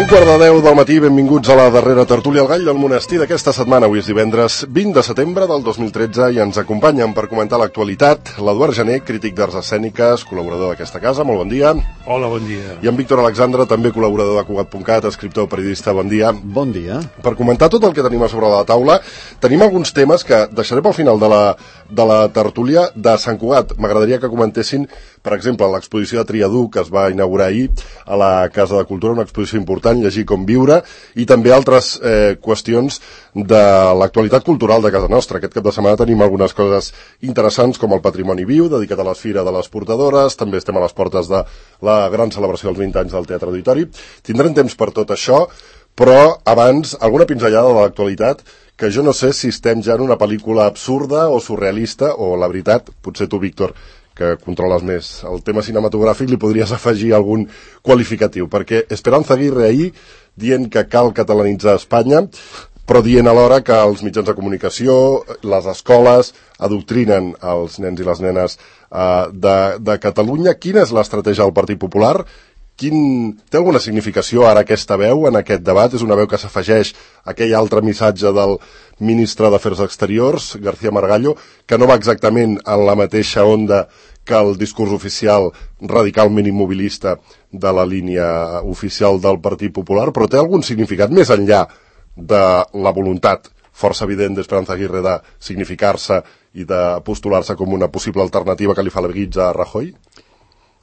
1:15 del matí, benvinguts a la darrera tertúlia al Gall del Monestir d'aquesta setmana. Avui és divendres 20 de setembre del 2013 i ens acompanyen per comentar l'actualitat l'Eduard Gené, crític d'arts escèniques, col·laborador d'aquesta casa. Molt bon dia. Hola, bon dia. I en Víctor Alexandre, també col·laborador de Cugat.cat, escriptor, periodista. Bon dia. Bon dia. Per comentar tot el que tenim a sobre la taula, tenim alguns temes que deixaré pel final de la tertúlia de Sant Cugat. M'agradaria que comentessin, per exemple, l'exposició de Triadú, que es va inaugurar ahir a la Casa de Cultura, una exposició important, Llegir com viure, i també altres qüestions de l'actualitat cultural de casa nostra. Aquest cap de setmana tenim algunes coses interessants, com el Patrimoni Viu, dedicat a l'Esfira de les Portadores. També estem a les portes de la gran celebració dels 20 anys del Teatre Auditori. Tindrem temps per tot això, però abans, alguna pinzellada de l'actualitat, que jo no sé si estem ja en una pel·lícula absurda o surrealista, o la veritat, potser tu, Víctor, que controles més el tema cinematogràfic, li podries afegir algun qualificatiu, perquè Esperanza Aguirre ahir dient que cal catalanitzar Espanya, però dient alhora que els mitjans de comunicació, les escoles, adoctrinen els nens i les nenes de Catalunya. Quina és l'estratègia del Partit Popular? Té alguna significació ara aquesta veu en aquest debat? És una veu que s'afegeix a aquell altre missatge del ministre d'Afers Exteriors, García Margallo, que no va exactament en la mateixa onda que el discurs oficial radicalment immobilista de la línia oficial del Partit Popular, però té algun significat més enllà de la voluntat força evident d'Esperanza Aguirre de significar-se i de postular-se com una possible alternativa que li fa la guitza a Rajoy?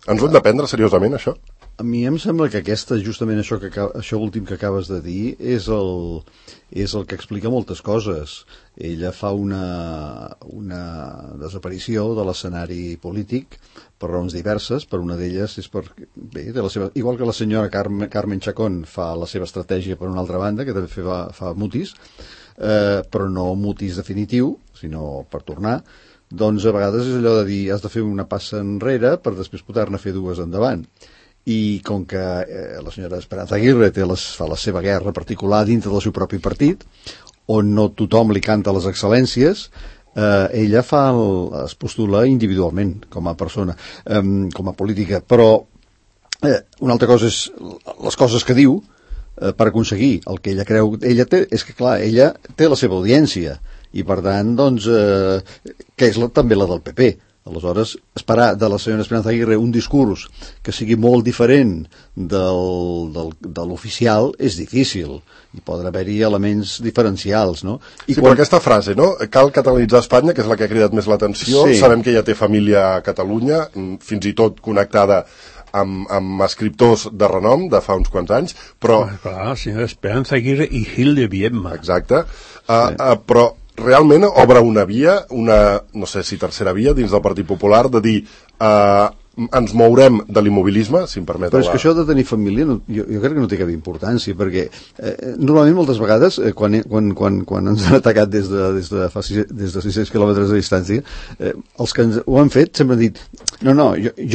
Ens ho hem de prendre seriosament, això? A mi em sembla que justament això últim que acabes de dir és el que explica moltes coses. Ella fa una desaparició de l'escenari polític per raons diverses. Per una d'elles és igual que la senyora Carmen Chacón fa la seva estratègia per una altra banda, que també fa mutis, però no mutis definitiu, sinó per tornar. Doncs a vegades és allò de dir has de fer una passa enrere per després poder-ne fer dues endavant. I com que la senyora Esperanza Aguirre fa la seva guerra particular dintre del seu propi partit, on no tothom li canta les excel·lències, ella es postula individualment com a persona, com a política. Però una altra cosa és les coses que diu per aconseguir el que ella creu. Ella té la seva audiència i per tant, doncs, que és també la del PP. Aleshores, esperar de la senyora Esperanza Aguirre un discurs que sigui molt diferent de l'oficial és difícil, i poden haver-hi elements diferencials, no? Però aquesta frase, no? Cal catalanitzar Espanya, que és la que ha cridat més l'atenció. Sí. Sabem que ella té família a Catalunya, fins i tot connectada amb escriptors de renom de fa uns quants anys, però... Clar, senyora Esperanza Aguirre i Gil de Viedma. Exacte. Però realment obre una via, no sé si tercera via, dins del Partit Popular, de dir ens mourem de l'immobilisme, si em permet. Però és que això de tenir família jo crec que no té cap importància, perquè normalment moltes vegades quan ens han atacat des de 600 quilòmetres de distància, els que ho han fet sempre han dit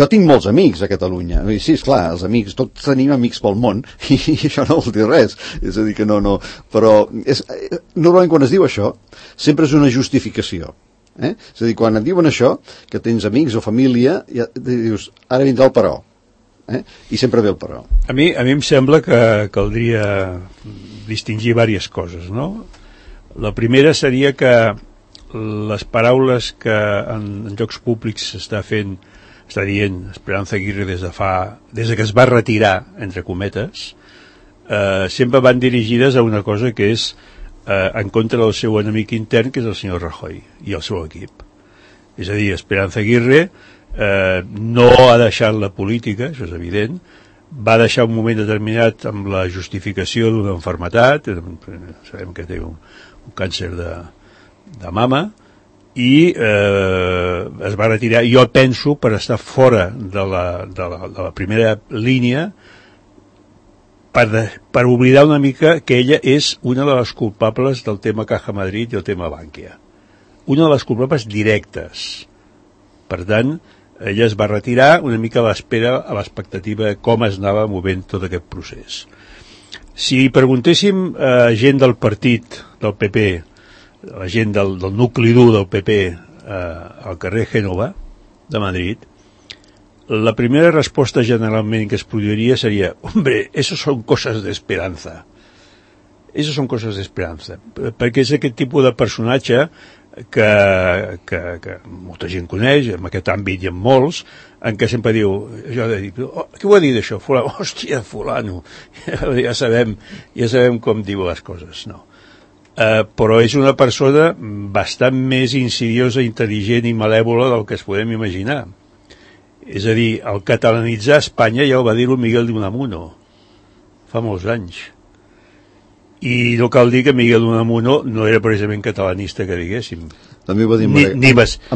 jo tinc molts amics a Catalunya. Sí, esclar, els amics, tots tenim amics pel món i això no vol dir res, és a dir que no, però normalment quan es diu això sempre és una justificació. És a dir, quan et diuen això, que tens amics o família, ja dius, ara vindrà el però. I sempre ve el però. A mi em sembla que caldria distingir diverses coses, no? La primera seria que les paraules que en llocs públics està dient Esperanza Aguirre des que es va retirar, entre cometes, sempre van dirigides a una cosa que és en contra del seu enemic intern, que és el senyor Rajoy i el seu equip. És a dir, Esperanza Aguirre no ha deixat la política, això és evident, va deixar un moment determinat amb la justificació d'una malaltia, sabem que té un càncer de mama, i es va retirar, jo penso, per estar fora de la primera línia, per oblidar una mica que ella és una de les culpables del tema Caja Madrid i el tema Bankia. Una de les culpables directes. Per tant, ella es va retirar una mica a l'espera, a l'expectativa de com es anava movent tot aquest procés. Si preguntéssim a gent del partit, del PP, la gent del nucli dur del PP al carrer Génova de Madrid, la primera resposta generalment que es produiria seria: hombre, eso son cosas de esperanza. Eso son cosas de esperanza. Perquè és aquest tipus de personatge que molta gent coneix, en aquest àmbit i en molts, en què sempre diu, jo de dir, què ho ha dit això? Fulano, hòstia, fulano. Ja sabem com diu les coses, no. Però és una persona bastant més insidiosa, intel·ligent i malèvola del que es podem imaginar. És a dir, el catalanitzar Espanya ja ho va dir-ho Miguel de Unamuno fa molts anys. I no cal dir que Miguel de Unamuno no era precisament catalanista, que diguéssim. També ho va dir a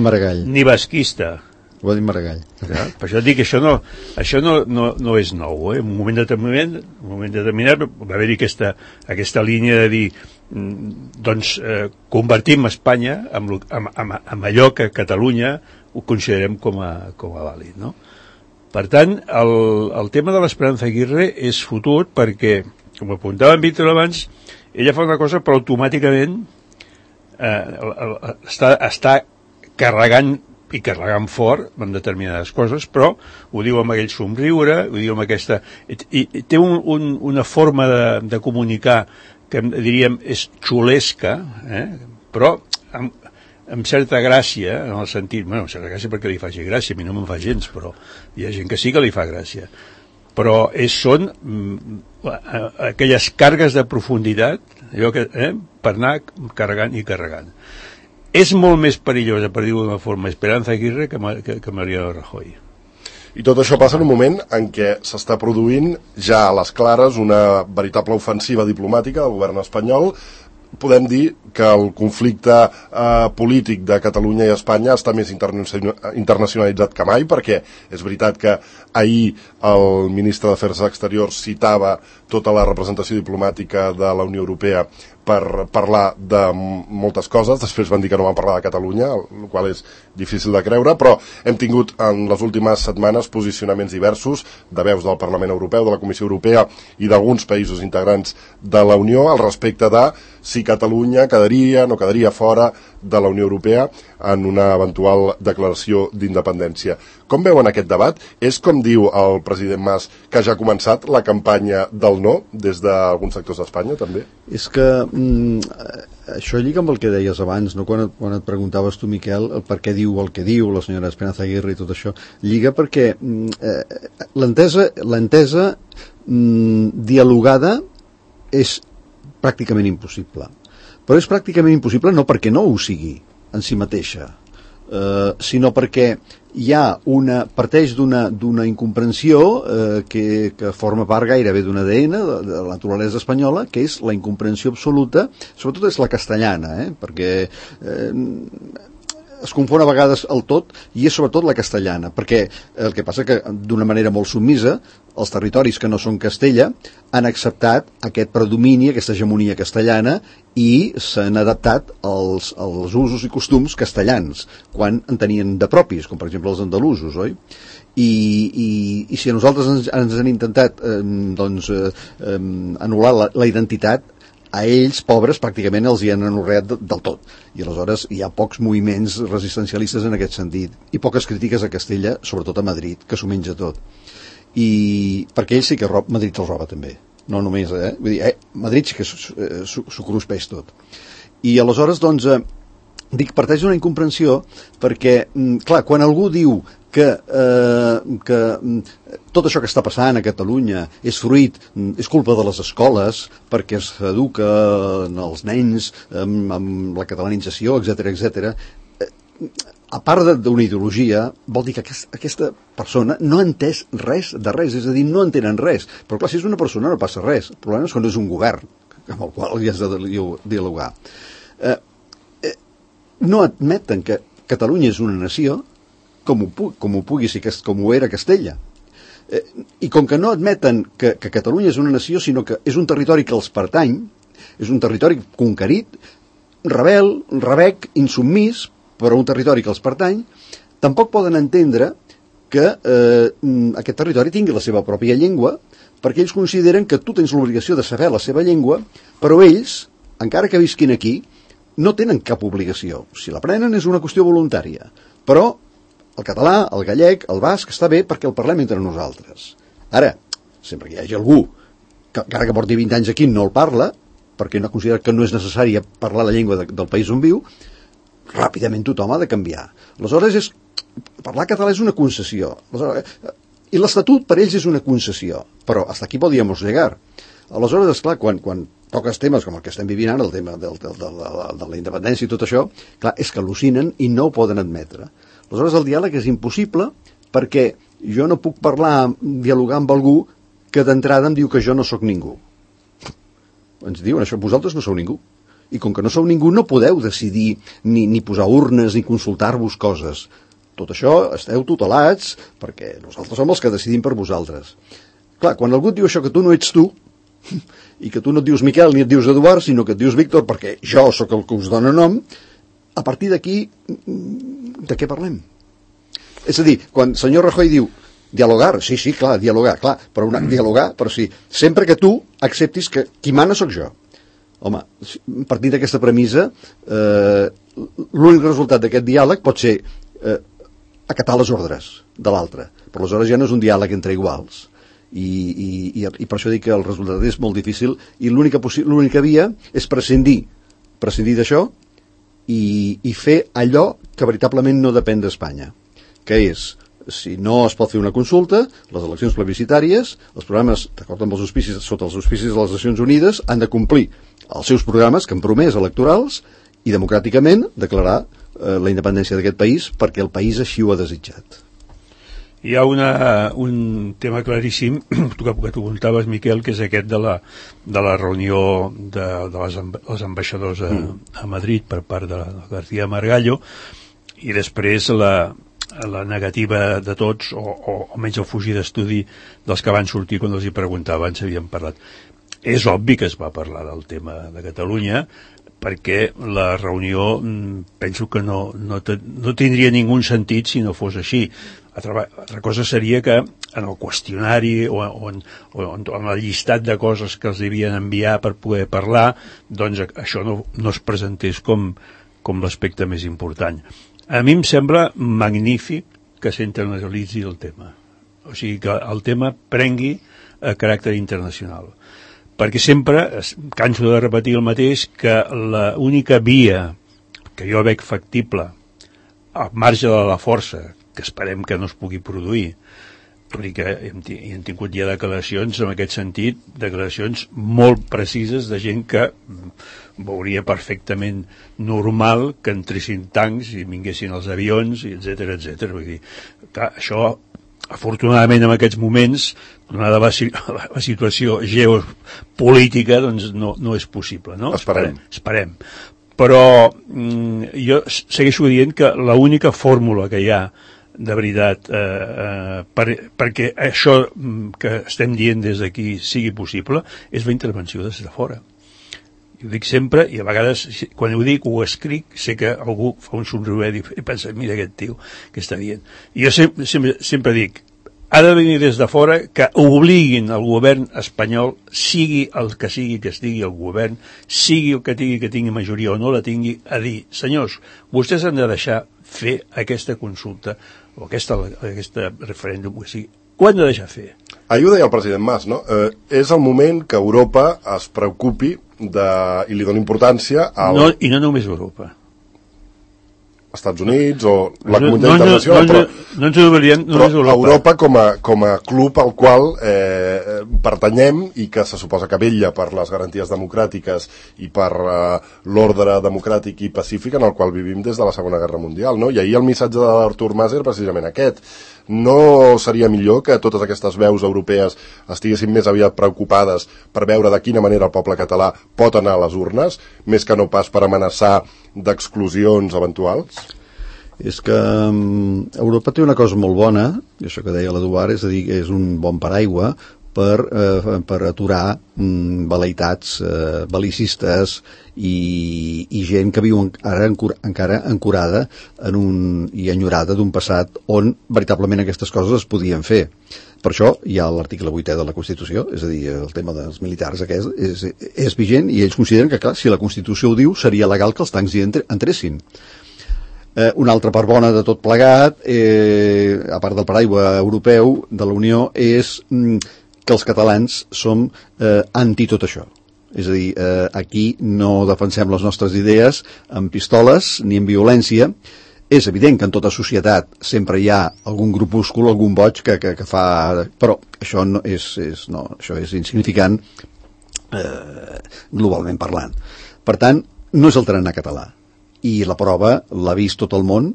Maragall. Ni basquista. Ho va dir Maragall. Ja, per això dic que això no és nou. En un moment determinat va haver-hi aquesta línia de dir convertim Espanya en allò que Catalunya ho considerem com a vàlid, no? Per tant, el tema de l'Esperanza Aguirre és fotut perquè, com apuntava en Víctor abans, ella fa una cosa però automàticament està carregant fort en determinades coses, però ho diu amb aquell somriure, ho diu amb aquesta... I té una forma de comunicar que diríem és xulesca, però amb certa gràcia, en el sentit... Bueno, amb certa gràcia perquè li faci gràcia, a mi no me'n fa gens, però hi ha gent que sí que li fa gràcia. Però són aquelles càrregues de profunditat, allò que, per anar carregant i carregant. És molt més perillosa, per dir-ho d'una forma, Esperanza Aguirre que Mariano Rajoy. I tot això passa en un moment en què s'està produint ja a les clares una veritable ofensiva diplomàtica del govern espanyol. Podem dir que el conflicte polític de Catalunya i Espanya està més internacionalitzat que mai, perquè és veritat que ahir el ministre d'Afers Exteriors citava tota la representació diplomàtica de la Unió Europea per parlar de moltes coses. Després van dir que no van parlar de Catalunya, el qual és difícil de creure, però hem tingut en les últimes setmanes posicionaments diversos de veus del Parlament Europeu, de la Comissió Europea i d'alguns països integrants de la Unió al respecte de si Catalunya quedaria, no quedaria fora de la Unió Europea en una eventual declaració d'independència. Com veuen aquest debat? És, com diu el president Mas, que ja ha començat la campanya del no des d'alguns sectors d'Espanya, també? És que això lliga amb el que deies abans, no? Quan et preguntaves tu, Miquel, el per què diu el que diu la senyora Esperanza Aguirre i tot això, lliga perquè l'entesa dialogada és pràcticament impossible. Però és pràcticament impossible no perquè no ho sigui en si mateixa, sinó perquè parteix d'una incomprensió que forma part gairebé d'un ADN de la naturalesa espanyola, que és la incomprensió absoluta, sobretot és la castellana, perquè es confon a vegades el tot, i és sobretot la castellana, perquè el que passa que d'una manera molt submisa els territoris que no són Castella han acceptat aquest predomini, aquesta hegemonia castellana, i s'han adaptat als usos i costums castellans, quan en tenien de propis, com per exemple els andalusos, oi? I si a nosaltres ens han intentat anul·lar la identitat, a ells, pobres, pràcticament els hi han anorreat del tot. I aleshores hi ha pocs moviments resistencialistes en aquest sentit. I poques crítiques a Castella, sobretot a Madrid, que s'ho menja tot. I perquè ells sí que Madrid els roba també. No només, Vull dir, Madrid sí que s'ho cruspeix tot. I aleshores, doncs, dic, parteix d'una incomprensió perquè, clar, quan algú diu que tot això que està passant a Catalunya és culpa de les escoles perquè s'educa els nens amb la catalanització, etc., a part d'una ideologia, vol dir que aquesta persona no ha entès res de res, és a dir, no entenen res. Però clar, si és una persona no passa res. El problema és quan és un govern amb el qual hi has de dialogar. No admeten que Catalunya és una nació com ho pugui ser, com ho era Castella. I com que no admeten que Catalunya és una nació, sinó que és un territori que els pertany, és un territori conquerit, rebel, rebec, insubmís, però un territori que els pertany, tampoc poden entendre que aquest territori tingui la seva pròpia llengua, perquè ells consideren que tu tens l'obligació de saber la seva llengua, però ells, encara que visquin aquí, no tenen cap obligació. Si l'aprenen és una qüestió voluntària, però el català, el gallec, el basc, està bé perquè el parlem entre nosaltres. Ara, sempre que hi hagi algú que encara que porti 20 anys aquí no el parla, perquè no considera que no és necessari parlar la llengua del país on viu, ràpidament tothom ha de canviar. Aleshores, parlar català és una concessió. I l'Estatut per ells és una concessió, però hasta aquí podíem llegar. Aleshores, esclar, quan toques temes com el que estem vivint ara, el tema de la independència i tot això, clar, és que al·lucinen i no ho poden admetre. Aleshores, el diàleg és impossible perquè jo no puc dialogar amb algú que d'entrada em diu que jo no sóc ningú. Ens diuen això, vosaltres no sou ningú. I com que no sou ningú no podeu decidir ni posar urnes ni consultar-vos coses. Tot això esteu tutelats perquè nosaltres som els que decidim per vosaltres. Clar, quan algú et diu això que tu no ets tu, i que tu no et dius Miquel ni et dius Eduard, sinó que et dius Víctor perquè jo sóc el que us dona nom, a partir d'aquí de què parlem? És a dir, quan el senyor Rajoy diu dialogar, sí, clar, dialogar, clar, però sí, sempre que tu acceptis que qui mana sóc jo. Home, partint d'aquesta premissa, l'únic resultat d'aquest diàleg pot ser acatar les ordres de l'altre, però aleshores ja no és un diàleg entre iguals. I per això dic que el resultat és molt difícil i l'única via és prescindir d'això i fer allò que veritablement no depèn d'Espanya, que és, si no es pot fer una consulta, les eleccions plebiscitàries, els programes, d'acord amb els auspicis, sota els auspicis de les Nacions Unides, han de complir els seus programes que han promès electorals i democràticament declarar la independència d'aquest país perquè el país així ho ha desitjat. Hi ha un tema claríssim que tu apuntaves, Miquel, que és aquest de la reunió dels ambaixadors a Madrid per part de García Margallo, i després la negativa de tots, o almenys el fugir d'estudi dels que van sortir quan els hi preguntava, ens havien parlat. És obvi que es va parlar del tema de Catalunya, perquè la reunió penso que no tindria ningú sentit si no fos així. Altra cosa seria que en el qüestionari o en el llistat de coses que els devien enviar per poder parlar, doncs això no es presentés com l'aspecte més important. A mi em sembla magnífic que s'internalitzi el tema, o sigui que el tema prengui caràcter internacional, perquè sempre canso de repetir el mateix, que l'única via que jo veig factible al marge de la força, que esperem que no es pugui produir, perquè hem tingut ja declaracions en aquest sentit, declaracions molt precises de gent que veuria perfectament normal que entressin tancs i vinguessin els avions, etcètera. Vull dir, clar, això afortunadament en aquests moments, donada la situació geopolítica, doncs no és possible, no? Esperem. Però jo segueixo dient que l'única fórmula que hi ha de veritat perquè això que estem dient des d'aquí sigui possible és la intervenció des de fora. Jo ho dic sempre, i a vegades quan ho dic ho escric, sé que algú fa un somriure i pensa, mira aquest tio que està dient. I jo sempre dic, ha de venir des de fora, que obliguin el govern espanyol, sigui el que sigui que estigui el govern, sigui el que tingui majoria o no la tingui, a dir, senyors, vostès han de deixar fer aquesta consulta o aquest referèndum, o sigui, ho han de deixar fer. Ahir ho deia el president Mas, no? És el moment que Europa es preocupi i li doni importància I no només Europa. Estats Units o la comunitat internacional, però Europa com a club al qual pertanyem i que se suposa que vetlla per les garanties democràtiques i per l'ordre democràtic i pacífic en el qual vivim des de la Segona Guerra Mundial, no? I ahir el missatge d'Artur Mas era precisament aquest. No seria millor que totes aquestes veus europees estiguessin més aviat preocupades per veure de quina manera el poble català pot anar a les urnes, més que no pas per amenaçar d'exclusions eventuals? És que Europa té una cosa molt bona, i això que deia l'Eduard, és a dir, és un bon paraigua per aturar vel·leïtats bel·licistes i gent que viu encara ancorada i enyorada d'un passat on veritablement aquestes coses es podien fer. Per això hi ha l'article 8è de la Constitució, és a dir, el tema dels militars aquest és vigent, i ells consideren que, clar, si la Constitució ho diu, seria legal que els tancs hi entressin. Una altra part bona de tot plegat, a part del paraigua europeu de la Unió, és que els catalans som anti tot això. És a dir, aquí no defensem les nostres idees amb pistoles ni amb violència. És evident que en tota societat sempre hi ha algun grupúscul, algun boig que fa... Però això no això és insignificant globalment parlant. Per tant, no és el tarannà català. I la prova l'ha vist tot el món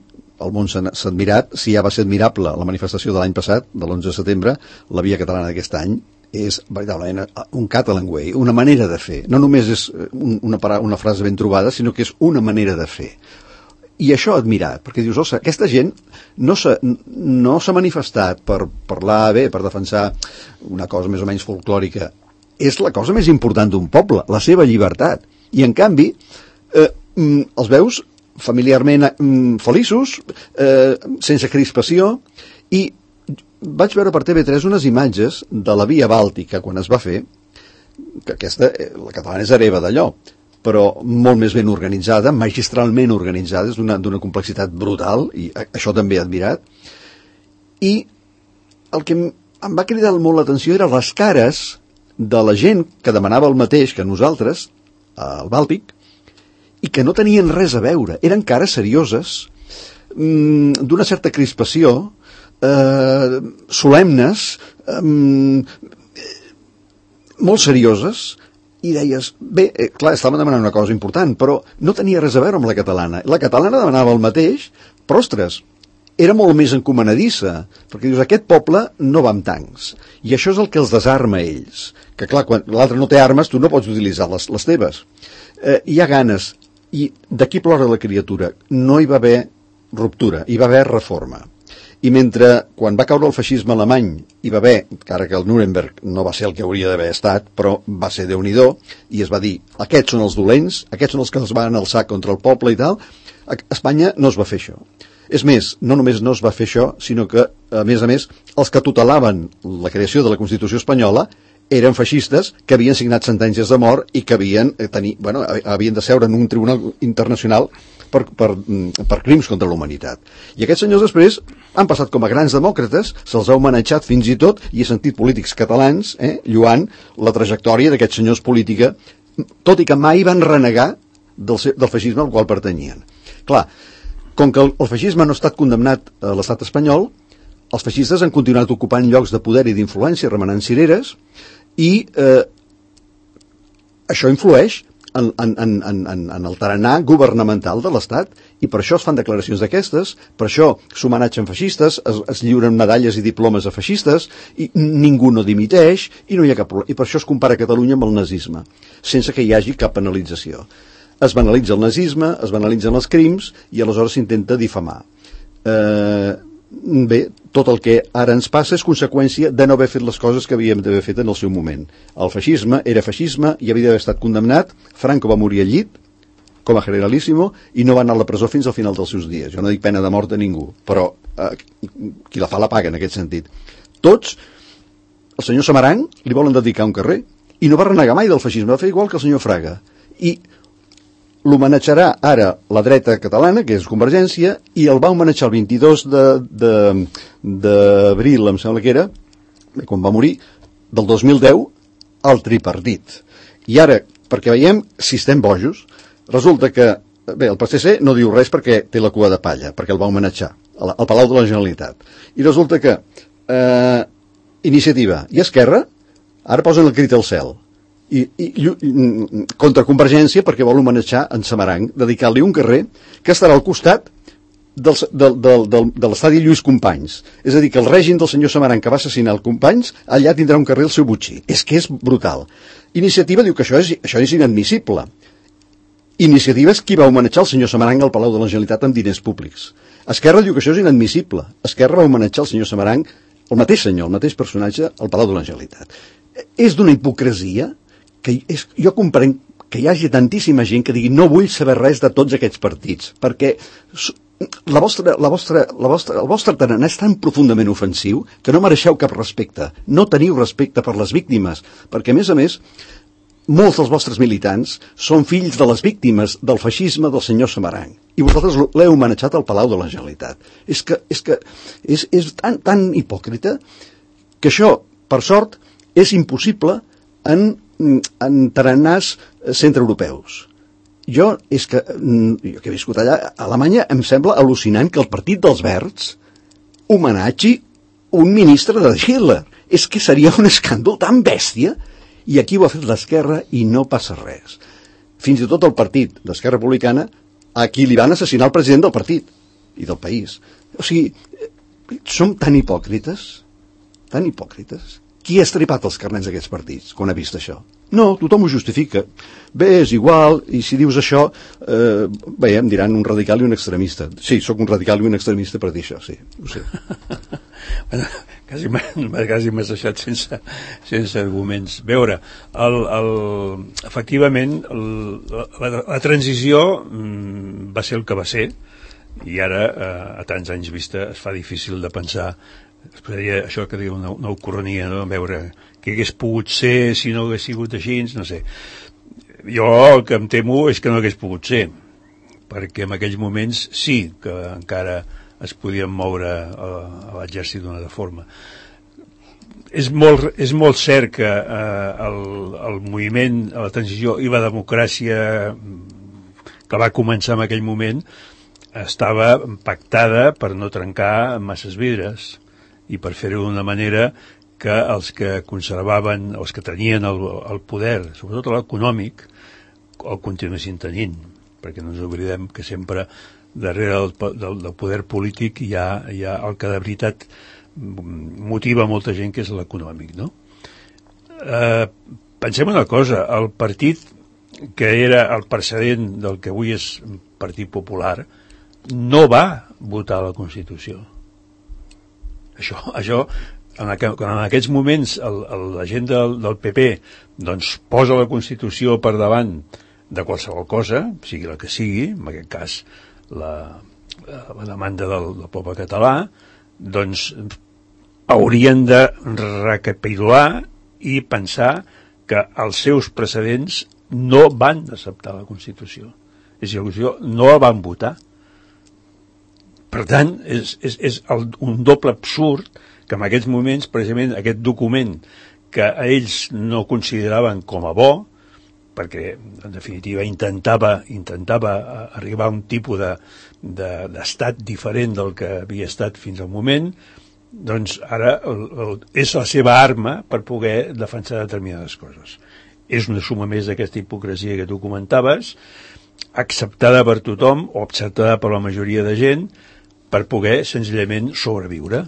s'ha admirat. Si ja va ser admirable la manifestació de l'any passat, de l'11 de setembre, la via catalana d'aquest any és veritablement un Catalan way, una manera de fer. No només és una frase ben trobada, sinó que és una manera de fer. I això admirat, perquè dius, ostres, aquesta gent no s'ha manifestat per parlar bé, per defensar una cosa més o menys folclòrica. És la cosa més important d'un poble, la seva llibertat. I en canvi, els veus familiarment feliços, sense crispació, i vaig veure per TV3 unes imatges de la Via Bàltica quan es va fer, que aquesta, la catalana és hereva d'allò, però molt més ben organitzada, magistralment organitzada, és d'una complexitat brutal, i això també he admirat. I el que em va cridar molt l'atenció eren les cares de la gent que demanava el mateix que nosaltres, al Bàltic, i que no tenien res a veure. Eren cares serioses, d'una certa crispació, solemnes, molt serioses, i deies, bé, clar, estaven demanant una cosa important, però no tenia res a veure amb la catalana. La catalana demanava el mateix, però, ostres, era molt més encomanadissa, perquè dius, aquest poble no va amb tancs, i això és el que els desarma a ells, que clar, quan l'altre no té armes, tu no pots utilitzar les teves. Hi ha ganes, i d'aquí plora la criatura. No hi va haver ruptura, hi va haver reforma. I mentre, quan va caure el feixisme alemany, hi va haver, encara que el Nuremberg no va ser el que hauria d'haver estat, però va ser Déu-n'hi-do, i es va dir, aquests són els dolents, aquests són els que es van alçar contra el poble i tal. A Espanya no es va fer això. És més, no només no es va fer això, sinó que, a més, els que tutelaven la creació de la Constitució espanyola eren feixistes que havien signat sentències de mort i que havien de seure en un tribunal internacional per crims contra la humanitat. I aquests senyors després han passat com a grans demòcrates, se'ls ha homenatjat fins i tot, i he sentit polítics catalans lluant la trajectòria d'aquests senyors política, tot i que mai van renegar del feixisme al qual pertanyien. Clar, com que el feixisme no ha estat condemnat a l'estat espanyol, els feixistes han continuat ocupant llocs de poder i d'influència, remenant cireres, i això influeix en el tarannà governamental de l'Estat, i per això es fan declaracions d'aquestes, per això s'homenatgen feixistes, es lliuren medalles i diplomes a feixistes, i ningú no dimiteix, i no hi ha cap problema. I per això es compara Catalunya amb el nazisme, sense que hi hagi cap penalització. Es banalitza el nazisme, es banalitzen els crims, i aleshores s'intenta difamar. Bé, tot el que ara ens passa és conseqüència de no haver fet les coses que havíem d'haver fet en el seu moment. El feixisme era feixisme i havia d'haver estat condemnat. Franco va morir al llit com a generalíssimo i no va anar a la presó fins al final dels seus dies. Jo no dic pena de mort a ningú, però qui la fa la paga en aquest sentit. Tots, el senyor Samaranch li volen dedicar un carrer i no va renegar mai del feixisme, va fer igual que el senyor Fraga, i l'homenatjarà ara la dreta catalana, que és Convergència, i el va homenatjar el 22 d'abril, em sembla que era, quan va morir, del 2010, al tripartit. I ara, perquè veiem si estem bojos, resulta que, bé, el PSC no diu res perquè té la cua de palla, perquè el va homenatjar al Palau de la Generalitat. I resulta que Iniciativa i Esquerra ara posen el crit al cel. I contra Convergència perquè vol homenatjar en Samaranch, dedicar-li un carrer que estarà al costat de l'estadi Lluís Companys. És a dir, que el règim del senyor Samaranch que va assassinar el Companys, allà tindrà un carrer al seu butxí. És que és brutal. Iniciativa diu que això és inadmissible. Iniciativa és qui va homenatjar el senyor Samaranch al Palau de la Generalitat amb diners públics. Esquerra diu que això és inadmissible. Esquerra va homenatjar el senyor Samaranch, el mateix senyor, el mateix personatge, al Palau de la Generalitat. És d'una hipocresia que jo comprenc que hi hagi tantíssima gent que digui no vull saber res de tots aquests partits, perquè el vostre tarannà és tan profundament ofensiu que no mereixeu cap respecte, no teniu respecte per les víctimes, perquè a més molts dels vostres militants són fills de les víctimes del feixisme del senyor Samaranch. I vosaltres l'heu homenatjat al Palau de la Generalitat. És tan hipòcrita que això, per sort, és impossible en tarannàs centreeuropeus. Jo que he viscut allà, a Alemanya, em sembla al·lucinant que el Partit dels Verds homenatgi un ministre de Hitler. És que seria un escàndol tan bèstia, i aquí ho ha fet l'esquerra i no passa res. Fins i tot el partit d'Esquerra Republicana, a qui li van assassinar el president del partit i del país. O sigui, som tan hipòcrites, tan hipòcrites. Qui ha estripat els carnets d'aquests partits quan ha vist això? No, tothom ho justifica. Bé, és igual, i si dius això, bé, em diran un radical i un extremista. Sí, sóc un radical i un extremista per dir això, sí, ho sé. Bueno, quasi m'has deixat sense arguments. A veure, efectivament, la transició va ser el que va ser, i ara, a tants anys vista, es fa difícil de pensar. Es podria, això que diu una ucronia, no? Veure què hagués pogut ser si no hagués sigut així, no sé. Jo el que em temo és que no hagués pogut ser, perquè en aquells moments sí que encara es podien moure a l'exèrcit d'una altra forma. És molt cert que el moviment, la transició i la democràcia que va començar en aquell moment estava pactada per no trencar masses vidres i per fer-ho d'una manera que els que conservaven, els que tenien el poder, sobretot l'econòmic, el continuessin tenint, perquè no ens oblidem que sempre darrere del poder polític hi ha el que de veritat motiva molta gent, que és l'econòmic, no? Pensem una cosa, el partit que era el precedent del que avui és Partit Popular no va votar la Constitució. Això en aquests moments la gent del PP doncs posa la Constitució per davant de qualsevol cosa, sigui la que sigui, en aquest cas la demanda del poble català, doncs haurien de recapitular i pensar que els seus precedents no van acceptar la Constitució. És a dir, la Constitució no la van votar. Per tant, és un doble absurd que en aquests moments, precisament, aquest document que ells no consideraven com a bo, perquè, en definitiva, intentava arribar a un tipus d'estat diferent del que havia estat fins al moment, doncs ara és la seva arma per poder defensar determinades coses. És una suma més d'aquesta hipocresia que tu comentaves, acceptada per tothom o acceptada per la majoria de gent, per poder senzillament sobreviure.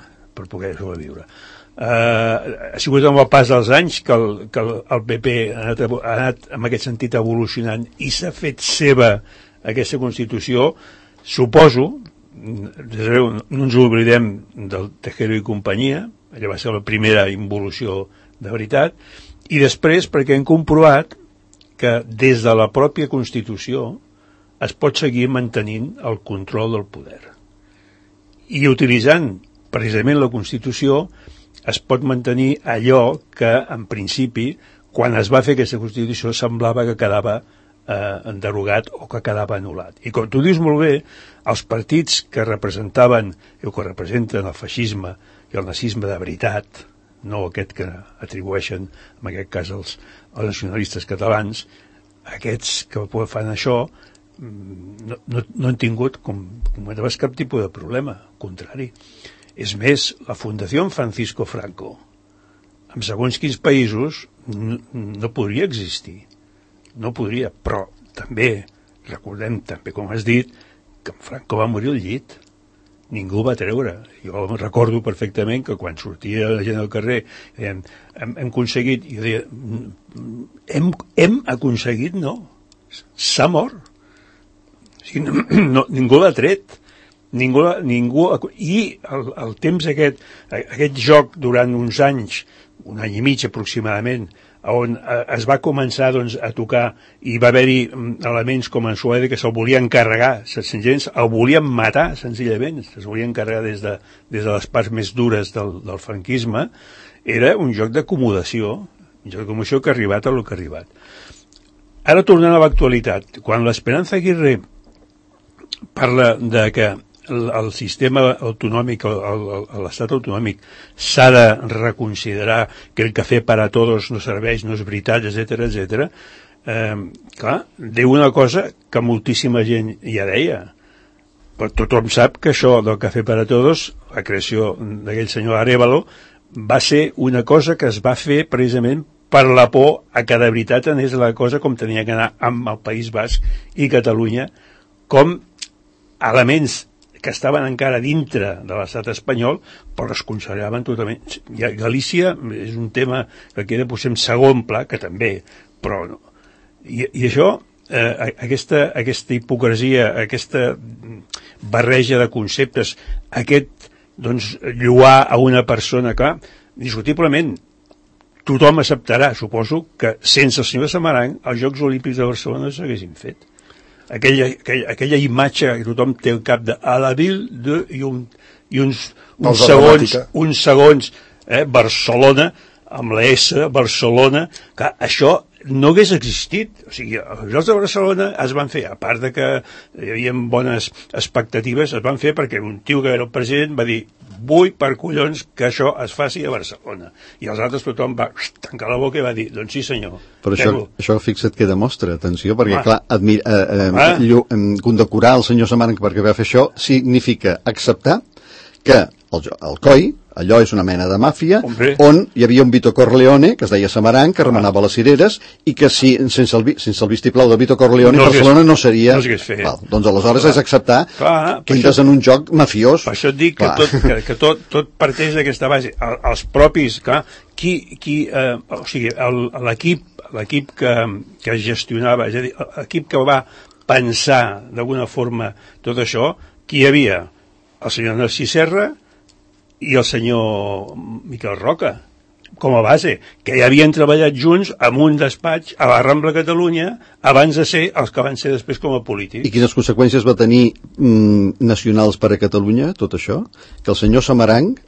Ha sigut amb el pas dels anys que el PP ha anat en aquest sentit evolucionant i s'ha fet seva aquesta Constitució. Suposo, no ens oblidem del Tejero i companyia, allà va ser la primera involució de veritat, i després perquè hem comprovat que des de la pròpia Constitució es pot seguir mantenint el control del poder. I utilitzant precisament la Constitució es pot mantenir allò que, en principi, quan es va fer aquesta Constitució semblava que quedava enderogat o que quedava anul·lat. I com tu dius molt bé, els partits que representaven o que representen el feixisme i el nazisme de veritat, no aquest que atribueixen, en aquest cas, els nacionalistes catalans, aquests que fan això no han tingut, com comentaves, cap tipus de problema, al contrari. És més, la Fundació Francisco Franco, en segons quins països, no podria existir. No podria, però també, recordem també, com has dit, que en Franco va morir al llit. Ningú va treure. Jo recordo perfectament que quan sortia la gent al carrer deien, hem aconseguit, i jo deia, hem aconseguit, no. S'ha mort. O sigui, ningú l'ha tret. Ningú, i el temps aquest joc durant uns anys, un any i mig aproximadament, on es va començar doncs, a tocar i va haver-hi elements com en Suède que se'l volien carregar, senzillament el volien matar, senzillament, se'l volien carregar des de les parts més dures del franquisme. Era un joc d'acomodació mitjà de comunicació que ha arribat a lo que ha arribat. Ara tornant a l'actualitat, quan l'Esperanza Aguirre parla de que el sistema autonòmic, l'estat autonòmic s'ha de reconsiderar, que el cafè per a tots no serveix, no és veritat, etc. Clar, diu una cosa que moltíssima gent ja deia, però tothom sap que això del cafè per a tots, la creació d'aquell senyor Arévalo, va ser una cosa que es va fer precisament per la por a que de veritat anés la cosa com tenia que anar amb el País Basc i Catalunya, com elements que estaven encara dintre de l'estat espanyol, però es consideraven totalment... Galícia és un tema que queda potser en segon pla, que també, però no. I això, aquesta hipocresia, aquesta barreja de conceptes, aquest, doncs, lloar a una persona, clar, discutiblement, tothom acceptarà, suposo, que sense el senyor Samaranch els Jocs Olímpics de Barcelona no s'haguessin fet. Aquella imatge que tothom té al cap de a la ville de uns segons Barcelona amb la S, Barcelona, que això no hagués existit. O sigui, els Jocs de Barcelona es van fer, a part de que hi havia bones expectatives, es van fer perquè un tio que era el president va dir vull per collons que això es faci a Barcelona. I els altres tothom va tancar la boca i va dir, doncs sí senyor. Però això fixa't que demostra, atenció, perquè clar, condecorar el senyor Samaranch perquè va fer això significa acceptar que el COI, allò és una mena de màfia, on hi havia un Vito Corleone, que es deia Samaranch, que remenava les cireres, i que sense el vistiplau de Vito Corleone Barcelona no seria... Doncs aleshores és acceptar que entres en un joc mafiós. Per això et dic que tot parteix d'aquesta base. Els propis, clar, o sigui, l'equip que gestionava, és a dir, l'equip que va pensar d'alguna forma tot això, qui hi havia? El senyor Narcís Serra i el senyor Miquel Roca, com a base, que ja havien treballat junts en un despatx a la Rambla Catalunya abans de ser els que van ser després com a polítics. I quines conseqüències va tenir nacionals per a Catalunya, tot això? Que el senyor Samaranch,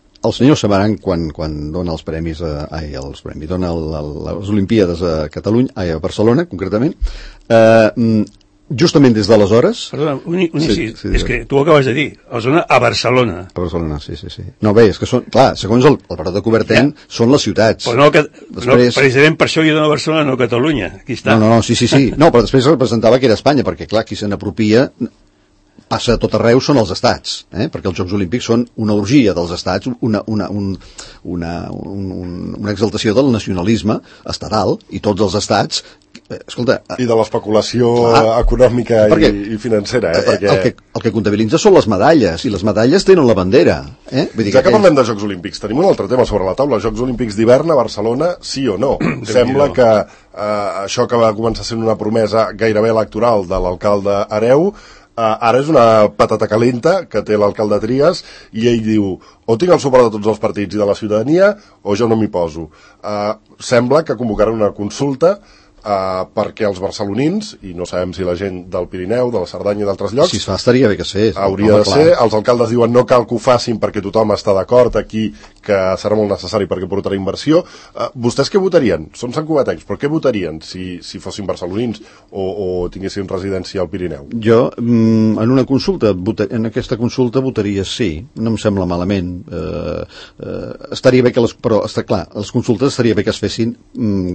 quan dona els premis, dona les Olimpíades a Catalunya, a Barcelona, concretament, justament des d'aleshores... Perdona, és que tu ho acabes de dir, els dona a Barcelona. A Barcelona, sí. No, bé, és que són, clar, segons el Baró de Coubertin, són les ciutats. Però no, precisament per això hi dona a Barcelona, no a Catalunya. Aquí està. No, sí. No, però després representava que era Espanya, perquè, clar, qui se n'apropia passa a tot arreu són els estats, perquè els Jocs Olímpics són una orgia dels estats, una exaltació del nacionalisme estatal, i tots els estats, escolta... I de l'especulació econòmica i financera, perquè... El que comptabilitza són les medalles, i les medalles tenen la bandera. Vull dir que parlem de Jocs Olímpics, tenim un altre tema sobre la taula, Jocs Olímpics d'hivern a Barcelona, sí o no? Sembla que això que va començar sent una promesa gairebé electoral de l'alcalde Hereu, ara és una patata calenta que té l'alcalde Trias i ell diu o tinc el suport de tots els partits i de la ciutadania o jo no m'hi poso. Sembla que convocaran una consulta perquè els barcelonins, i no sabem si la gent del Pirineu, de la Cerdanya i d'altres llocs, si es fa estaria bé que fes, hauria de ser, els alcaldes diuen no cal que ho facin perquè tothom està d'acord aquí que serà molt necessari perquè portarà inversió. Vostès què votarien? Són santcugatencs, però què votarien si fossin barcelonins o tinguessin residència al Pirineu? Jo, en aquesta consulta votaria sí, no em sembla malament. Estaria bé que però està clar, les consultes estaria bé que es fessin,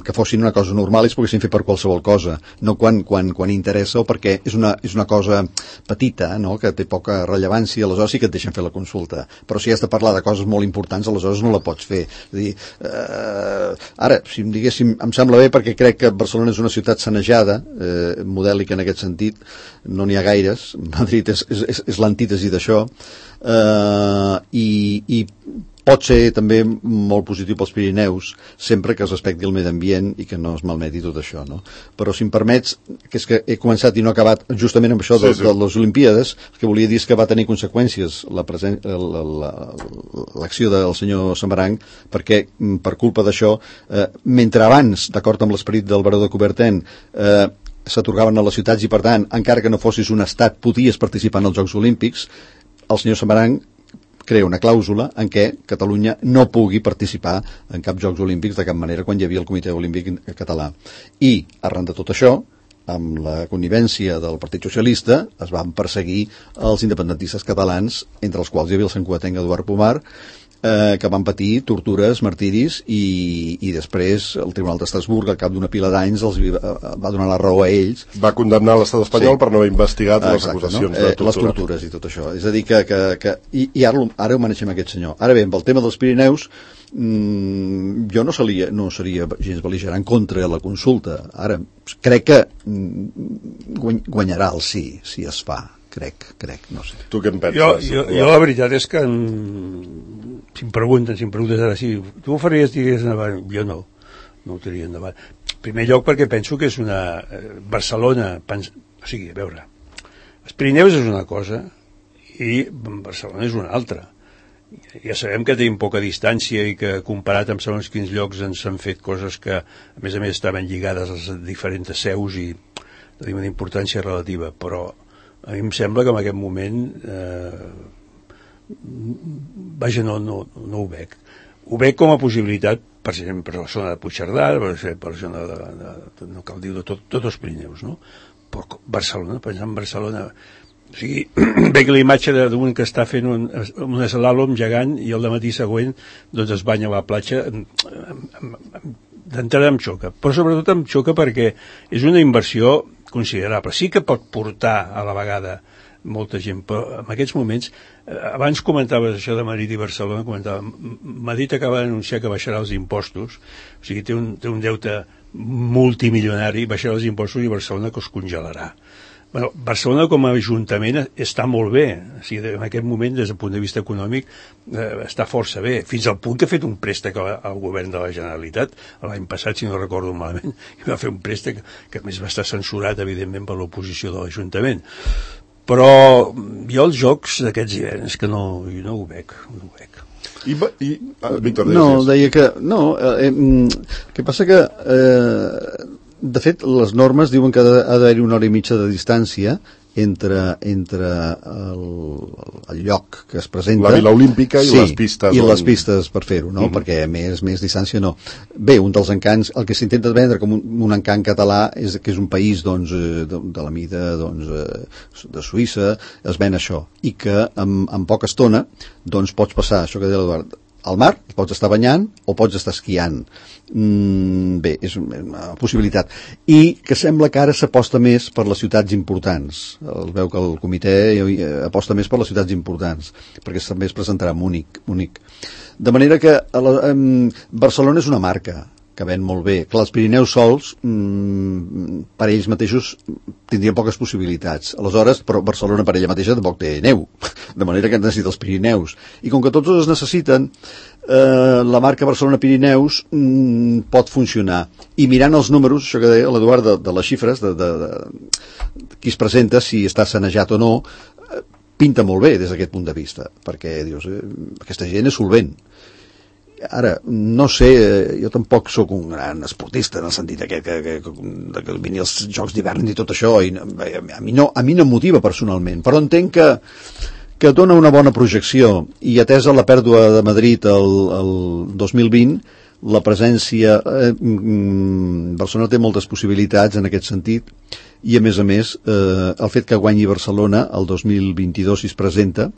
que fossin una cosa normal i es poguessin fer per qualsevol cosa, no quan interessa o perquè és una cosa petita, no? Que té poca rellevància, aleshores sí que et deixen fer la consulta, però si has de parlar de coses molt importants, aleshores no la pots fer. És a dir, ara, si em diguéssim, em sembla bé perquè crec que Barcelona és una ciutat sanejada, modèlica en aquest sentit, no n'hi ha gaires, Madrid és l'antítesi d'això, i pot ser també molt positiu pels Pirineus, sempre que es respecti el medi ambient i que no es malmeti tot això, no? Però si em permets, que és que he començat i no he acabat justament amb això de les Olimpíades, el que volia dir és que va tenir conseqüències l'acció del senyor Samaranch, perquè per culpa d'això, mentre abans, d'acord amb l'esperit del Baró de Coubertin, s'atorgaven a les ciutats i per tant, encara que no fossis un estat, podies participar en els Jocs Olímpics, el senyor Samaranch crea una clàusula en què Catalunya no pugui participar en cap Jocs Olímpics de cap manera quan hi havia el Comitè Olímpic Català. I, arran de tot això, amb la connivència del Partit Socialista, es van perseguir els independentistes catalans, entre els quals hi havia el santcugatenc Eduard Pomar, que van patir tortures, martiris, i després el Tribunal d'Estrasburg, al cap d'una pila d'anys, va donar la raó a ells. Va condemnar l'estat espanyol per no haver investigat les acusacions de tortura. Les tortures i tot això. És a dir, i ara ho maneixem aquest senyor. Ara bé, amb el tema dels Pirineus, jo no seria gens bel·ligerant contra la consulta. Ara, crec que guanyarà el sí, si es fa. Crec, no sé. Tu què en penses? Jo la veritat és que si em preguntes ara si tu ho faries, digues endavant, jo no ho tiraria endavant. En primer lloc perquè penso que és una Barcelona, o sigui, a veure, els Pirineus és una cosa i Barcelona és una altra. Ja sabem que tenim poca distància i que comparat amb segons quins llocs ens han fet coses que a més estaven lligades a les diferents seus i tenim una importància relativa, però a mi em sembla que en aquest moment no ho veig. Ho veig com a possibilitat, per exemple, per la zona de Puigcerdà, per la zona no cal dir de tots els Pirineus, no? Però Barcelona, pensant en Barcelona, o sigui, veig la imatge d'un que està fent un slalom gegant i el dematí següent doncs es banya a la platja. D'entrada em xoca, però sobretot em xoca perquè és una inversió considerable. Sí que pot portar a la vegada molta gent, però en aquests moments, abans comentaves això de Madrid i Barcelona, Madrid acaba d'anunciar que baixarà els impostos, o sigui, té un deute multimilionari, baixarà els impostos i Barcelona que es congelarà. Bueno, Barcelona com a ajuntament està molt bé, o sigui, en aquest moment des del punt de vista econòmic està força bé, fins al punt que ha fet un préstec al govern de la Generalitat l'any passat, si no recordo malament, i va fer un préstec que a més va estar censurat evidentment per l'oposició de l'Ajuntament, però jo els jocs d'aquests hiverns que no ho veig. Víctor, deia que que passa que de fet, les normes diuen que ha d'haver-hi 1 hora i mitja de distància entre el lloc que es presenta... La Vila Olímpica i les pistes. I les pistes per fer-ho, no? Perquè més distància no. Bé, un dels encants, el que s'intenta vendre com un encant català és que és un país de la mida de Suïssa, es ven això, i que en poca estona pots passar, això que deia l'Eduard, al mar, pots estar banyant o pots estar esquiant. Bé, és una possibilitat. I que sembla que ara s'aposta més per les ciutats importants. Es veu que el comitè aposta més per les ciutats importants, perquè també es presentarà a Munic. De manera que Barcelona és una marca que ven molt bé. Clar, els Pirineus sols, per ells mateixos, tindrien poques possibilitats. Aleshores, però Barcelona per ella mateixa tampoc té neu, de manera que necessita els Pirineus. I com que tots es necessiten, la marca Barcelona-Pirineus pot funcionar. I mirant els números, això que deia l'Eduard, de les xifres, de qui es presenta, si està sanejat o no, pinta molt bé des d'aquest punt de vista, perquè dius, aquesta gent és solvent. Ara, no sé, jo tampoc sóc un gran esportista en el sentit que vini els Jocs d'hivern i tot això, i a mi no em motiva personalment, però entenc que dona una bona projecció, i atesa la pèrdua de Madrid el 2020, la presència... Barcelona té moltes possibilitats en aquest sentit, i a més, el fet que guanyi Barcelona el 2022 si es presenta,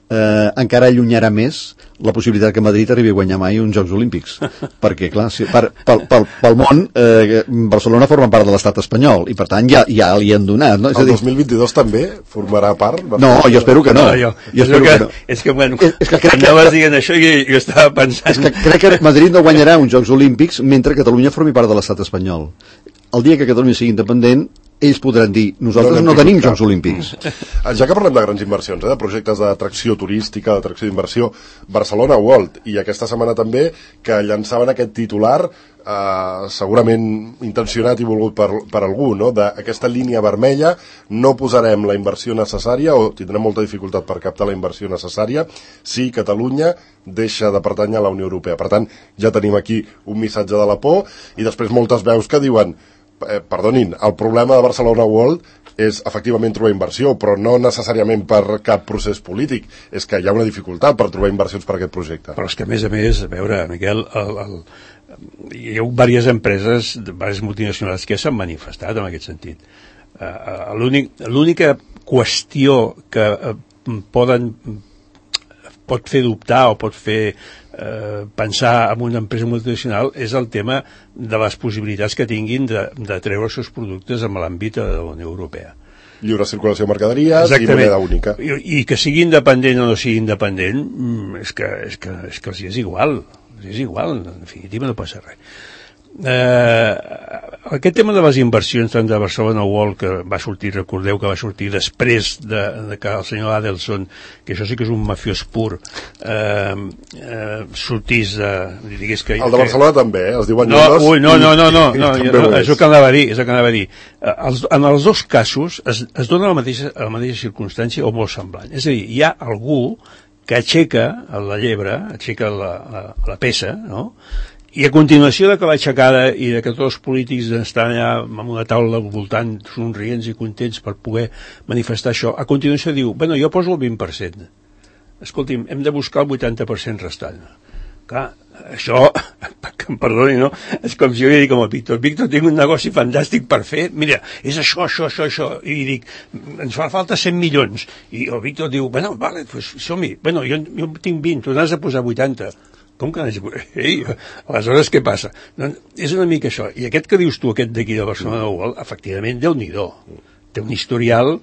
encara allunyarà més la possibilitat que Madrid arribi a guanyar mai uns Jocs Olímpics, perquè clar, pel món Barcelona forma part de l'estat espanyol i per tant ja li han donat, no? El 2022 també formarà part? No, jo espero que no. És que anaves dient això i jo estava pensant... És que crec que Madrid no guanyarà uns Jocs Olímpics mentre Catalunya formi part de l'estat espanyol. El dia que Catalunya sigui independent, ells podran dir, nosaltres no tenim Jocs Olímpics. Ja que parlem de grans inversions, de projectes d'atracció turística, d'atracció d'inversió, Barcelona World, i aquesta setmana també que llançaven aquest titular segurament intencionat i volgut per algú, no? D'aquesta línia vermella, no posarem la inversió necessària o tindrem molta dificultat per captar la inversió necessària si Catalunya deixa de pertànyer a la Unió Europea. Per tant, ja tenim aquí un missatge de la por i després moltes veus que diuen perdonin, el problema de Barcelona World és efectivament trobar inversió, però no necessàriament per cap procés polític, és que hi ha una dificultat per trobar inversions per aquest projecte. Però és que, a més, a veure, Miquel, hi ha diverses empreses, diverses multinacionals que s'han manifestat en aquest sentit. L'única qüestió que pot fer dubtar o pot fer pensar en una empresa multinacional és el tema de les possibilitats que tinguin de treure els seus productes en l'àmbit de la Unió Europea. Lliure circulació de mercaderies i moneda única. I que sigui independent o no sigui independent, és que els és igual. És igual, en definitiva no passa res. Aquest tema de les inversions tant de Barcelona World, que va sortir, recordeu que va sortir després de que el senyor Adelson, que això sí que és un mafiós pur, sortís digués que... El de Barcelona també, es diuen No, Lloros, és el que anava a dir, en els dos casos es dona la mateixa circumstància o molt semblant. És a dir, hi ha algú que aixeca la llebre, aixeca la peça, no?, i a continuació d'acabar aixecada i de que tots els polítics estan allà amb una taula al voltant somrients i contents per poder manifestar això, a continuació diu, bueno, jo poso el 20%. Escolti'm, hem de buscar el 80% restant. Clar, això, que em perdoni, no? És com si jo li dic al Víctor, tinc un negoci fantàstic per fer, mira, és això, i dic, ens fa falta 100 milions. I el Víctor diu, bueno, vale, pues som-hi, bueno, jo tinc 20, tu n'has de posar 80. Com que n'has de posar? Ei, aleshores què passa? Doncs és una mica això. I aquest que dius tu, aquest d'aquí de Barcelona World, efectivament, Déu-n'hi-do. Té un historial,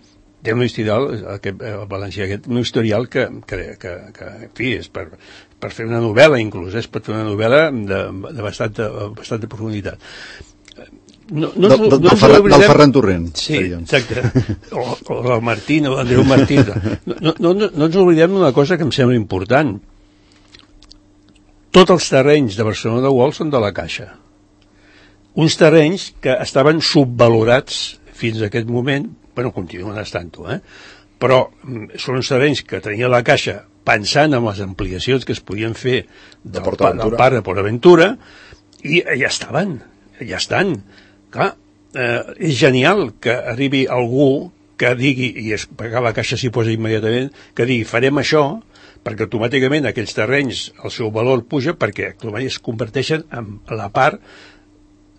aquest valencià, un historial que en fi, és per fer una novel·la, inclús, per fer una novel·la de bastanta profunditat. Del Ferran Torrent. Sí, exacte. O del Martín, o l'Andreu Martín. No ens oblidem d'una cosa que em sembla important. Tots els terrenys de Barcelona World són de la Caixa. Uns terrenys que estaven subvalorats fins a aquest moment, bueno, continuen estant-ho, però són uns terrenys que tenia la Caixa pensant en les ampliacions que es podien fer del parc de PortAventura, i ja estan. Clar, és genial que arribi algú que digui, i perquè la Caixa s'hi posa immediatament, que digui, farem això, perquè automàticament aquells terrenys, el seu valor puja, perquè es converteixen en la part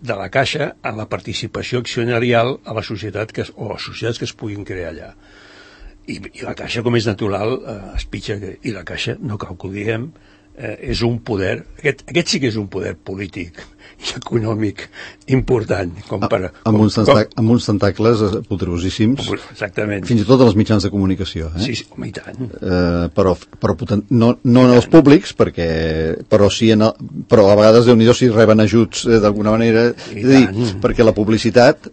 de la Caixa en la participació accionarial a la societat o a les societats que es puguin crear allà. I la Caixa, com és natural, es pitja, i la Caixa, no cal que ho diguem, és un poder, aquest sí que és un poder polític i econòmic important, amb uns tentacles poderosíssims, exactament, fins i tot als mitjans de comunicació, sí, home, i tant, però no en els públics, però a vegades Déu-n'hi-do si reben ajuts d'alguna manera, perquè la publicitat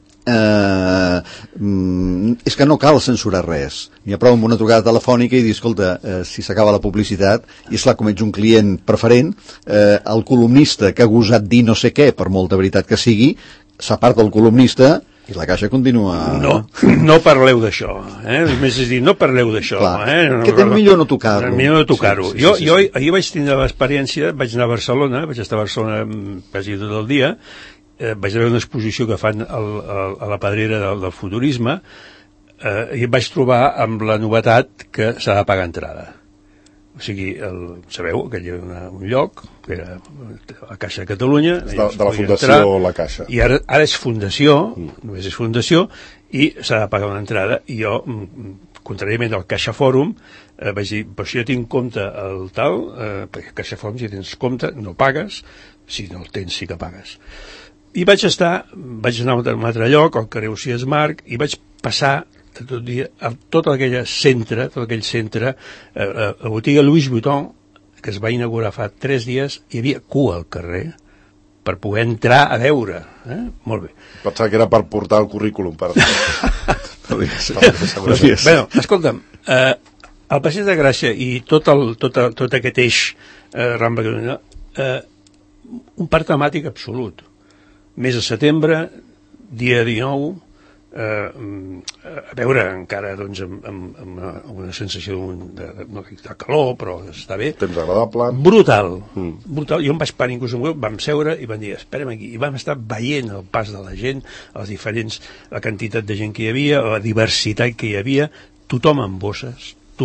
és que no cal censurar res, n'hi ha prou amb una trucada telefònica i dir, escolta, si s'acaba la publicitat, i esclar, com ets un client preferent, el columnista que ha gosat dir no sé què, per molta veritat que sigui, s'aparta el columnista i la Caixa continua... No parleu d'això, més és dir, no parleu d'això, que és millor no tocar-ho. Millor no tocar-ho. Jo ahir vaig tindre l'experiència, vaig anar a Barcelona, vaig estar a Barcelona quasi tot el dia, vaig veure una exposició que fan a la Pedrera del futurisme, i em vaig trobar amb la novetat que s'ha de pagar entrada. O sigui, sabeu que hi ha un lloc que era la Caixa de Catalunya de la Fundació La Caixa, i ara és fundació, només és fundació, i s'ha de pagar una entrada. I jo, contràriament al Caixa Fòrum, vaig dir, però si jo tinc compte el tal, perquè Caixa Fòrum, si tens compte no pagues, si no el tens sí que pagues. I vaig anar a un altre lloc, al carrer Ucies Marc, i vaig passar tot dia a tot aquell centre, la botiga Louis Vuitton, que es va inaugurar fa 3 dies, hi havia cua al carrer per poder entrar a veure. Molt bé. Pensava que era per portar el currículum. Bueno, escolta'm, el Passeig de Gràcia i tot aquest eix Rambla Catalunya, un parc temàtic absolut. Mes de setembre, dia 19, a veure, encara doncs, amb una sensació de calor, però està bé. Temps agradable. Brutal. Jo em vaig parar inclús amb vam seure i vam dir, esperem aquí. I vam estar veient el pas de la gent, la quantitat de gent que hi havia, la diversitat que hi havia, tothom amb bosses, o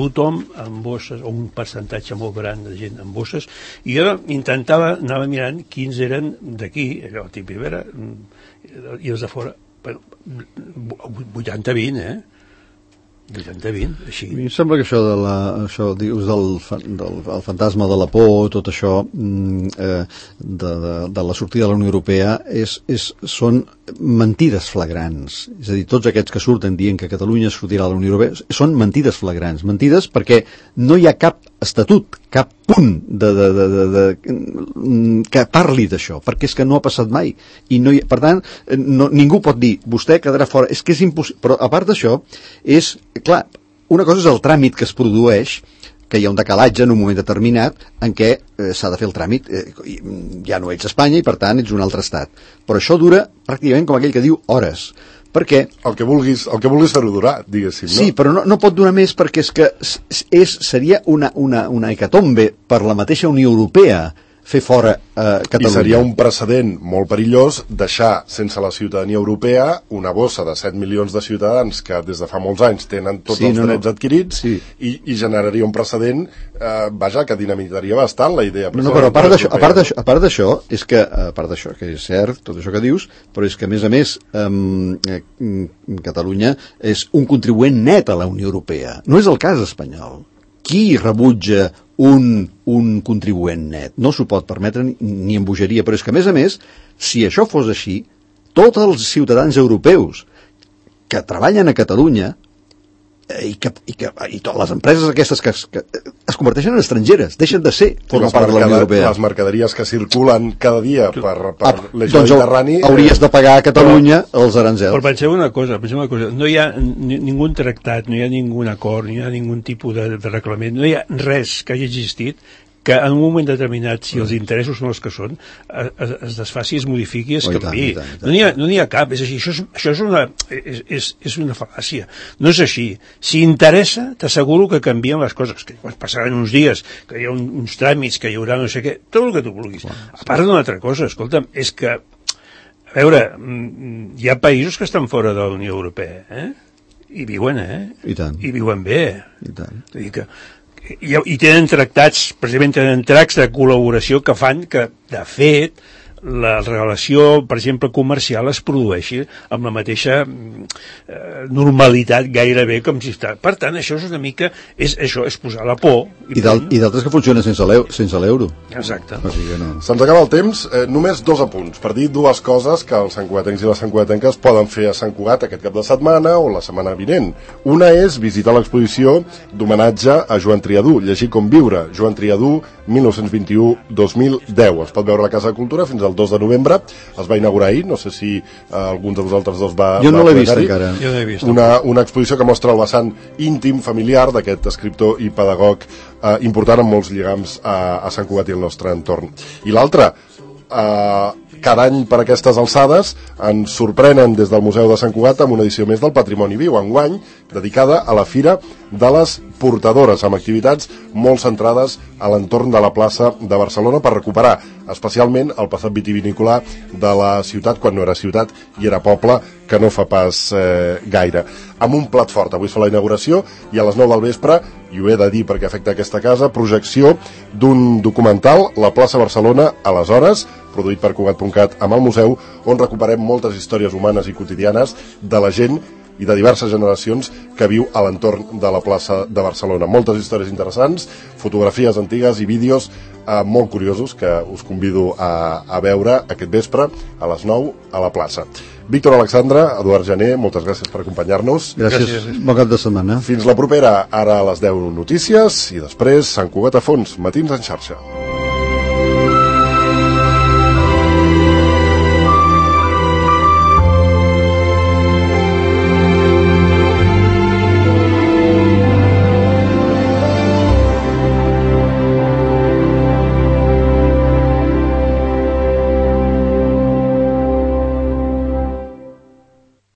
un percentatge molt gran de gent amb bosses, i jo anava mirant quins eren d'aquí, allò típic, i els de fora, 80-20, 80-20, així. A mi em sembla que això dius del fantasma de la por, tot això de la sortida de la Unió Europea són mentides flagrants. És a dir, tots aquests que surten dient que Catalunya sortirà de la Unió Europea són mentides flagrants. Mentides perquè no hi ha cap estatut, cap punt que parli d'això, perquè és que no ha passat mai. I no per tant, ningú pot dir, vostè quedarà fora. És que és impossible. Però a part d'això, clar, una cosa és el tràmit que es produeix, que hi ha un decalatge en un moment determinat en què s'ha de fer el tràmit, ja no ets Espanya i per tant ets un altre estat, però això dura pràcticament com aquell que diu hores, perquè el que vulguis fer-ho durar, diguéssim, no? Sí, però no pot durar més perquè és que seria una hecatombe per la mateixa Unió Europea fer fora Catalunya. I seria un precedent molt perillós deixar sense la ciutadania europea una bossa de 7 milions de ciutadans que des de fa molts anys tenen tots els drets adquirits i generaria un precedent que dinamitaria bastant la idea. Però a part d'això és que, que és cert tot això que dius, però és que a més Catalunya és un contribuent net a la Unió Europea, no és el cas espanyol. Qui rebutja un contribuent net? No s'ho pot permetre ni en bogeria, però és que a més, si això fos així, tots els ciutadans europeus que treballen a Catalunya i totes les empreses aquestes que es converteixen en estrangeres, deixen de ser formar part de la Unió Europea. Les mercaderies que circulen cada dia per l'eix mediterrani... Hauries de pagar a Catalunya els aranzels. Però penseu una cosa, no hi ha ningú tractat, no hi ha ningú acord, no hi ha ningú tipus de reglament, no hi ha res que hagi existit que en un moment determinat, si els interessos són els que són, es desfaci, es modifiqui, es canviï. No n'hi ha cap, és així. Això és una fal·làcia. No és així. Si interessa, t'asseguro que canvien les coses, que passaran uns dies, que hi ha uns tràmits, que hi haurà no sé què, tot el que tu vulguis. A part d'una altra cosa, escolta'm, és que, a veure, hi ha països que estan fora de la Unió Europea, i viuen, I tant. I viuen bé. I tant. Vull dir que i tenen tractats, precisament tenen tractats de col·laboració que fan que, de fet, la relació, per exemple, comercial es produeixi amb la mateixa normalitat gairebé com si està. Per tant, això és una mica, és posar la por. I d'altres que funcionen sense l'euro. Exacte. O sigui que no. Se'ns acaba el temps, només 2 apunts, per dir 2 coses que els santcugatencs i les santcugatenques poden fer a Sant Cugat aquest cap de setmana o la setmana vinent. Una és visitar l'exposició d'homenatge a Joan Triadú, Llegir com viure, Joan Triadú, 1921-2010. Es pot veure a la Casa de Cultura fins al 2 de novembre, es va inaugurar ahir, no sé si alguns de vosaltres dos va... Jo no l'he vist encara. Jo no l'he vist. Una exposició que mostra el vessant íntim, familiar d'aquest escriptor i pedagog important amb molts lligams a Sant Cugat i el nostre entorn. I l'altra, cada any per aquestes alçades ens sorprenen des del Museu de Sant Cugat amb una edició més del Patrimoni Viu, enguany dedicada a la Fira de les Portadores, amb activitats molt centrades a l'entorn de la plaça de Barcelona per recuperar especialment el passat vitivinícola de la ciutat quan no era ciutat i era poble, que no fa pas gaire. Amb un plat fort, avui es fa la inauguració i a les 9 del vespre, i ho he de dir perquè afecta aquesta casa, projecció d'un documental, La plaça Barcelona, aleshores, produït per Cugat.cat amb el museu, on recuperem moltes històries humanes i quotidianes de la gent i de diverses generacions que viu a l'entorn de la plaça de Barcelona. Moltes històries interessants, fotografies antigues i vídeos molt curiosos que us convido a veure aquest vespre a les 9 a la plaça. Víctor Alexandre, Eduard Jané, moltes gràcies per acompanyar-nos. Gràcies. Bon cap de setmana. Fins la propera, ara a les 10 notícies i després Sant Cugat a fons, Matins en xarxa.